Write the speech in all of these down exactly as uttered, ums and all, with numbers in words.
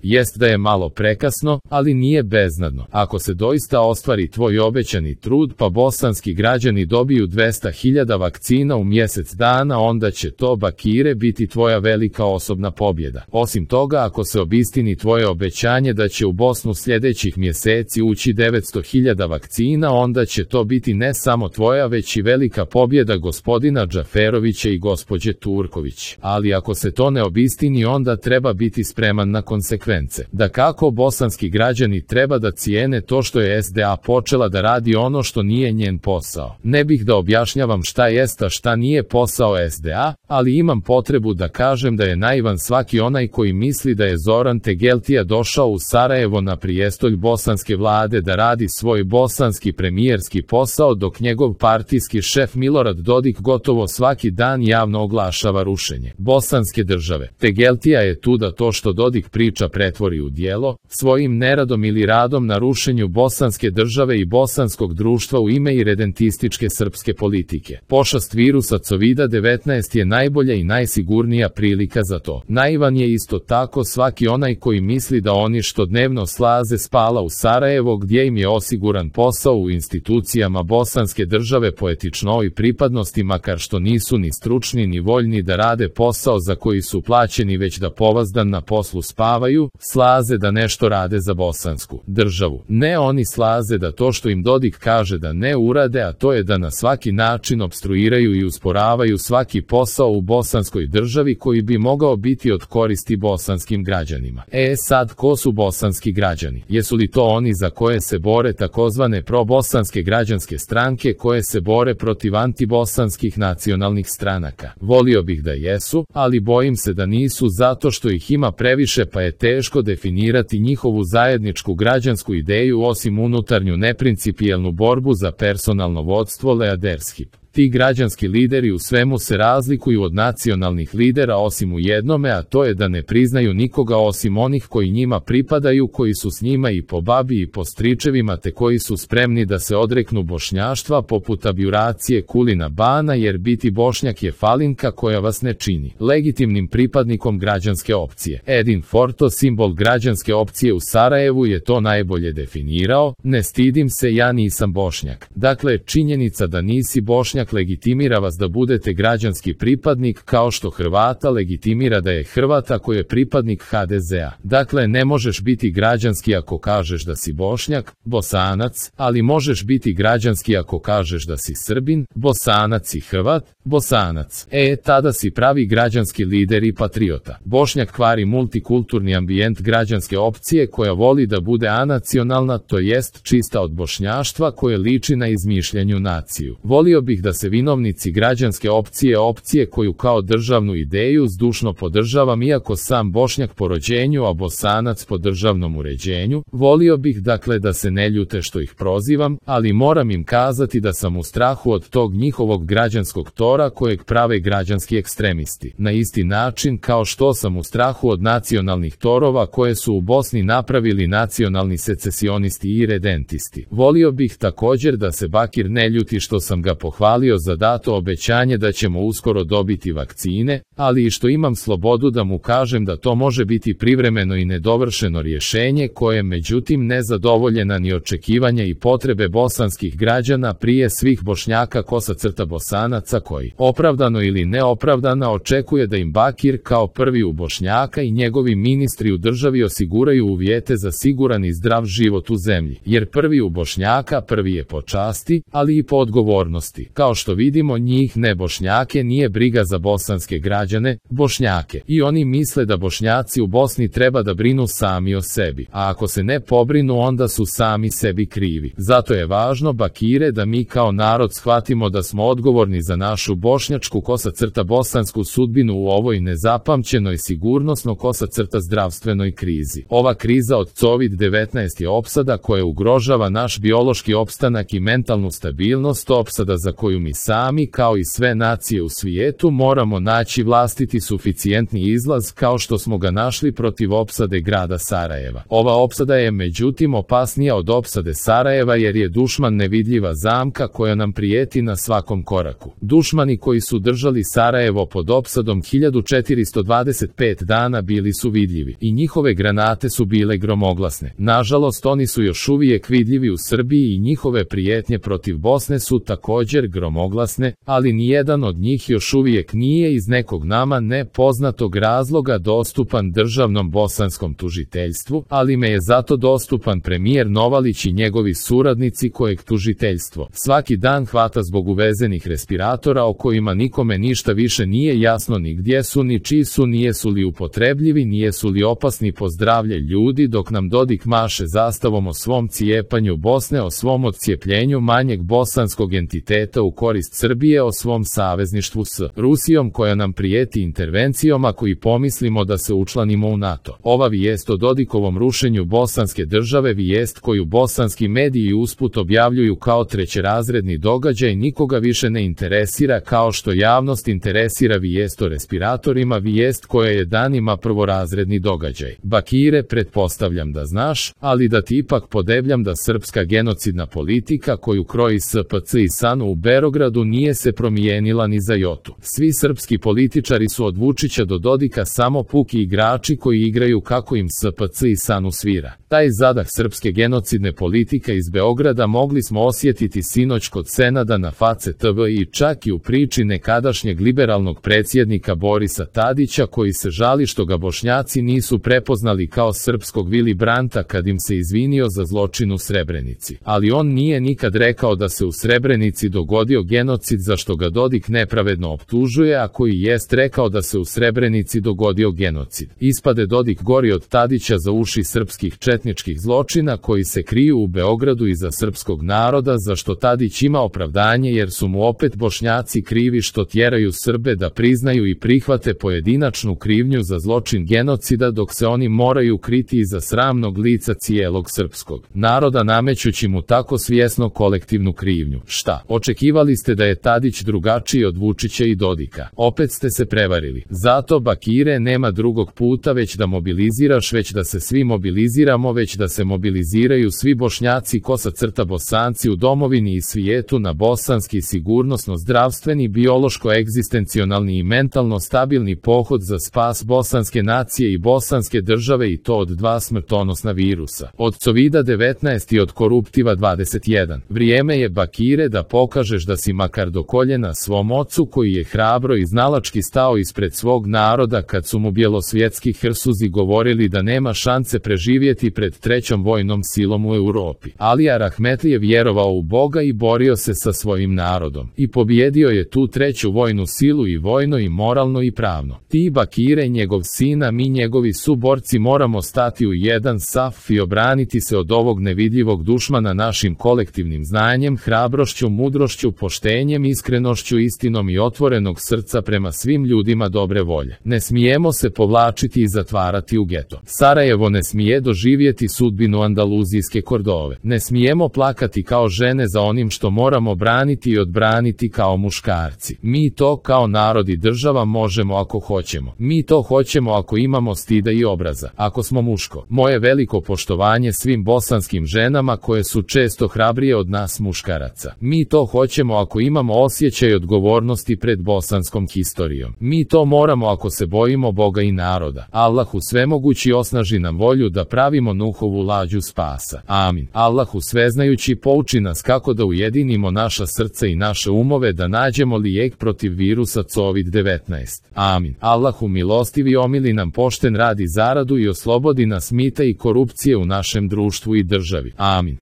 Jest da je malo prekasno, ali nije beznadno. Ako se doista ostvari tvoj obećani trud pa bosanski građani dobiju dvesta hiljada vakcina u mjesec dana, onda će to, Bakire, biti tvoja velika osobna pobjeda. Osim toga, ako se obistini tvoje obećanje da će u Bosnu sljedećih mjeseci ući devetsto hiljada vakcina, onda će to biti ne samo tvoja, već i velika pobjeda gospodina Džaferovića i gospođe Turković. Ali ako se to ne obistini, onda treba biti spreman na konsekvence. Da kako bosanski građani treba da cijene to što je S D A počela da radi ono što nije njen posao. Ne bih da objašnjavam šta jest a šta nije posao S D A, ali imam potrebu da kažem da je naivan svaki onaj koji misli da je Zoran Tegeltija došao u Sarajevo na prijestolj bosanske vlade da radi svoj bosanski premijerski posao, dok njegov partijski šef Milorad Dodik gotovo svaki dan javno oglašava rušenje bosanske države. Tegeltija je tu da to što Dodik priča pretvori u djelo, svojim neradom ili radom na rušenju bosanske države i bosanskog društva u ime iredentističke srpske politike. Pošast virusa covida devetnaest je najbolja i najsigurnija prilika za to. Naivan je isto tako svaki onaj koji misli da oni što dnevno slaze spala u Sarajevo gdje im je osiguran posao u institucijama bosanske države po etičnoj pripadnosti, makar što nisu ni stručni ni voljni da rade posao za koji su plaćeni, već da povazdan na poslu spavaju, slaze da nešto rade za bosansku državu. Ne, oni slaze da to što im Dodik kaže da ne urade, a to je da na svaki način opstruiraju i usporavaju svaki posao u bosanskoj državi koji bi mogao biti od koristi bosanskim građanima. E sad, ko su bosanski građani? Jesu li to oni za koje se bore takozvane probosanske građanske stranke koje se bore protiv antibosanskih nacionalnih stranaka? Volio bih da jesu, ali bojim se da nisu, zato što ih ima previše pa je teško definirati njihovu zajedničku građansku ideju osim unutarnju neprincipijelnu borbu za personalno vodstvo leadership. Ti građanski lideri u svemu se razlikuju od nacionalnih lidera osim u jednome, a to je da ne priznaju nikoga osim onih koji njima pripadaju, koji su s njima i po babi i po stričevima, te koji su spremni da se odreknu bošnjaštva poput abjuracije Kulina Bana, jer biti bošnjak je falinka koja vas ne čini legitimnim pripadnikom građanske opcije. Edin Forto, simbol građanske opcije u Sarajevu, je to najbolje definirao: ne stidim se, ja nisam bošnjak. Dakle, činjenica da nisi bošnjak legitimira vas da budete građanski pripadnik, kao što Hrvata legitimira da je Hrvat ako je pripadnik H D Z A. Dakle, ne možeš biti građanski ako kažeš da si Bošnjak, Bosanac, ali možeš biti građanski ako kažeš da si Srbin, Bosanac i Hrvat, Bosanac. E, tada si pravi građanski lider i patriota. Bošnjak kvari multikulturni ambijent građanske opcije koja voli da bude anacionalna, to jest čista od bošnjaštva koje liči na izmišljanju naciju. Volio bih da se vinovnici građanske opcije, opcije koju kao državnu ideju zdušno podržavam iako sam Bošnjak po rođenju, a Bosanac po državnom uređenju, volio bih dakle da se ne ljute što ih prozivam, ali moram im kazati da sam u strahu od tog njihovog građanskog tora kojeg prave građanski ekstremisti. Na isti način kao što sam u strahu od nacionalnih torova koje su u Bosni napravili nacionalni secesionisti i redentisti. Volio bih također da se Bakir ne ljuti što sam ga pohvalio za dato obećanje da ćemo uskoro dobiti vakcine, ali i što imam slobodu da mu kažem da to može biti privremeno i nedovršeno rješenje koje međutim ne zadovoljena ni očekivanja i potrebe bosanskih građana, prije svih Bošnjaka kosa crta Bosanaca, koji opravdano ili neopravdano očekuje da im Bakir kao prvi u Bošnjaka i njegovi ministri u državi osiguraju uvjete za siguran i zdrav život u zemlji, jer prvi u Bošnjaka prvi je po časti, ali i po odgovornosti. Kao što vidimo, njih ne Bošnjake nije briga za bosanske građane, Bošnjake, i oni misle da Bošnjaci u Bosni treba da brinu sami o sebi, a ako se ne pobrinu onda su sami sebi krivi. Zato je važno, Bakire, da mi kao narod shvatimo da smo odgovorni za našu bošnjačku kosa crta bosansku sudbinu u ovoj nezapamćenoj sigurnosno kosa crta zdravstvenoj krizi. Ova kriza od COVID devetnaest je opsada koja ugrožava naš biološki opstanak i mentalnu stabilnost, opsada za koju slučaju mi sami, kao i sve nacije u svijetu, moramo naći vlastiti suficijentni izlaz kao što smo ga našli protiv opsade grada Sarajeva. Ova opsada je međutim opasnija od opsade Sarajeva jer je dušman nevidljiva zamka koja nam prijeti na svakom koraku. Dušmani koji su držali Sarajevo pod opsadom hiljadu četiristo dvadeset pet dana bili su vidljivi i njihove granate su bile gromoglasne. Nažalost, oni su još uvijek vidljivi u Srbiji i njihove prijetnje protiv Bosne su također gromoglasne, ali nijedan od njih još uvijek nije iz nekog nama nepoznatog razloga dostupan državnom bosanskom tužiteljstvu, ali me je zato dostupan premijer Novalić i njegovi suradnici kojeg tužiteljstvo svaki dan hvata zbog uvezenih respiratora o kojima nikome ništa više nije jasno ni gdje su ni čiji su, nijesu li upotrebljivi, nijesu li opasni po zdravlje ljudi, dok nam Dodik maše zastavom o svom cijepanju Bosne, o svom odcijepljenju manjeg bosanskog entiteta u korist Srbije, o svom savezništvu s Rusijom koja nam prijeti intervencijom ako i pomislimo da se učlanimo u NATO. Ova vijest o Dodikovom rušenju bosanske države, vijest koju bosanski mediji usput objavljuju kao trećerazredni događaj, nikoga više ne interesira kao što javnost interesira vijest o respiratorima, vijest koja je danima prvorazredni događaj. Bakire, pretpostavljam da znaš, ali da ti ipak podebljam da srpska genocidna politika koju kroji S P C i S A N u Beogradu nije se promijenila ni za jotu. Svi srpski političari su od Vučića do Dodika samo puki igrači koji igraju kako im S P C i S A N svira. Taj zadah srpske genocidne politike iz Beograda mogli smo osjetiti sinoć kod Senada na Face T V i čak i u priči nekadašnjeg liberalnog predsjednika Borisa Tadića koji se žali što ga Bošnjaci nisu prepoznali kao srpskog Vili Branta kad im se izvinio za zločin u Srebrenici. Ali on nije nikad rekao da se u Srebrenici dogodio genocid za što ga Dodik nepravedno optužuje, a koji jest rekao da se u Srebrenici dogodio genocid. Ispade Dodik gori od Tadića za uši srpskih četničkih zločina koji se kriju u Beogradu iza srpskog naroda, za što Tadić ima opravdanje jer su mu opet Bošnjaci krivi što tjeraju Srbe da priznaju i prihvate pojedinačnu krivnju za zločin genocida, dok se oni moraju kriti iza sramnog lica cijelog srpskog naroda namećući mu tako svjesno kolektivnu krivnju. Šta? Očekivali ste da je Tadić drugačiji od Vučića i Dodika? Opet ste se prevarili. Zato, Bakire, nema drugog puta već da mobiliziraš, već da se svi mobiliziramo, već da se mobiliziraju svi Bošnjaci, kosa crta Bosanci u domovini i svijetu na bosanski sigurnosno-zdravstveni, biološko-egzistencionalni i mentalno stabilni pohod za spas bosanske nacije i bosanske države, i to od dva smrtonosna virusa, od covida devetnaest i od koruptiva dvadeset jedan. Vrijeme je, Bakire, da pokažeš da si makar do koljena svom ocu koji je hrabro i znalački stao ispred svog naroda kad su mu bjelosvjetski hrsuzi govorili da nema šanse preživjeti pred trećom vojnom silom u Europi. Alija Rahmetli je vjerovao u Boga i borio se sa svojim narodom. I pobjedio je tu treću vojnu silu i vojno i moralno i pravno. Ti, Bakire, njegov sina, mi njegovi suborci moramo stati u jedan saf i obraniti se od ovog nevidljivog dušmana našim kolektivnim znanjem, hrabrošću, mudrošću, poštenjem, iskrenošću, istinom i otvorenog srca prema svim ljudima dobre volje. Ne smijemo se povlačiti i zatvarati u geto. Sarajevo ne smije doživjeti sudbinu andaluzijske Kordove. Ne smijemo plakati kao žene za onim što moramo braniti i odbraniti kao muškarci. Mi to kao narod i država možemo ako hoćemo. Mi to hoćemo ako imamo stida i obraza. Ako smo muško. Moje veliko poštovanje svim bosanskim ženama koje su često hrabrije od nas muškaraca. Mi to hoćemo ako imamo osjećaj odgovornosti pred bosanskom historijom. Mi to moramo ako se bojimo Boga i naroda. Allahu svemogući osnaži nam volju da pravimo Nuhovu lađu spasa. Amin. Allahu sveznajući pouči nas kako da ujedinimo naša srca i naše umove da nađemo lijek protiv virusa kovid devetnaest. Amin. Allahu milostivi omili nam pošten rad i zaradu i oslobodi nas mita i korupcije u našem društvu i državi. Amin.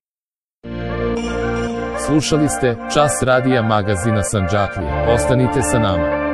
Slušali ste Čas radija magazina Sandžaklija. Ostanite sa nama.